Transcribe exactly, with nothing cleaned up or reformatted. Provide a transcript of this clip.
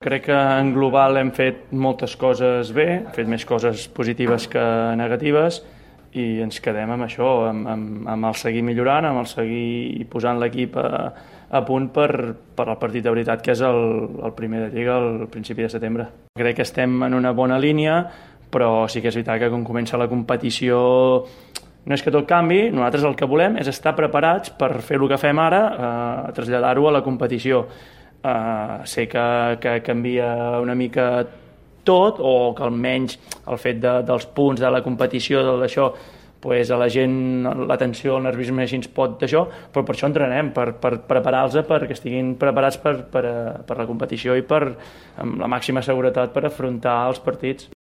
Crec que en global hem fet moltes coses bé, hem fet més coses positives que negatives i ens quedem amb això, amb, amb, amb el seguir millorant, amb el seguir posant l'equip a, a punt per, per al partit de veritat, que és el, el primer de Lliga al principi de setembre. Crec que estem en una bona línia, però sí que és veritat que quan comença la competició no és que tot canvi, nosaltres el que volem és estar preparats per fer el que fem ara, eh, traslladar-ho a la competició. Uh, sé que, que canvia una mica tot, o que almenys el fet de, dels punts de la competició, d'això, pues a la gent l'atenció, el nerviosisme així ens pot d'això, però per això entrenem, per, per preparar-los perquè estiguin preparats per, per, per la competició i per, amb la màxima seguretat per afrontar els partits.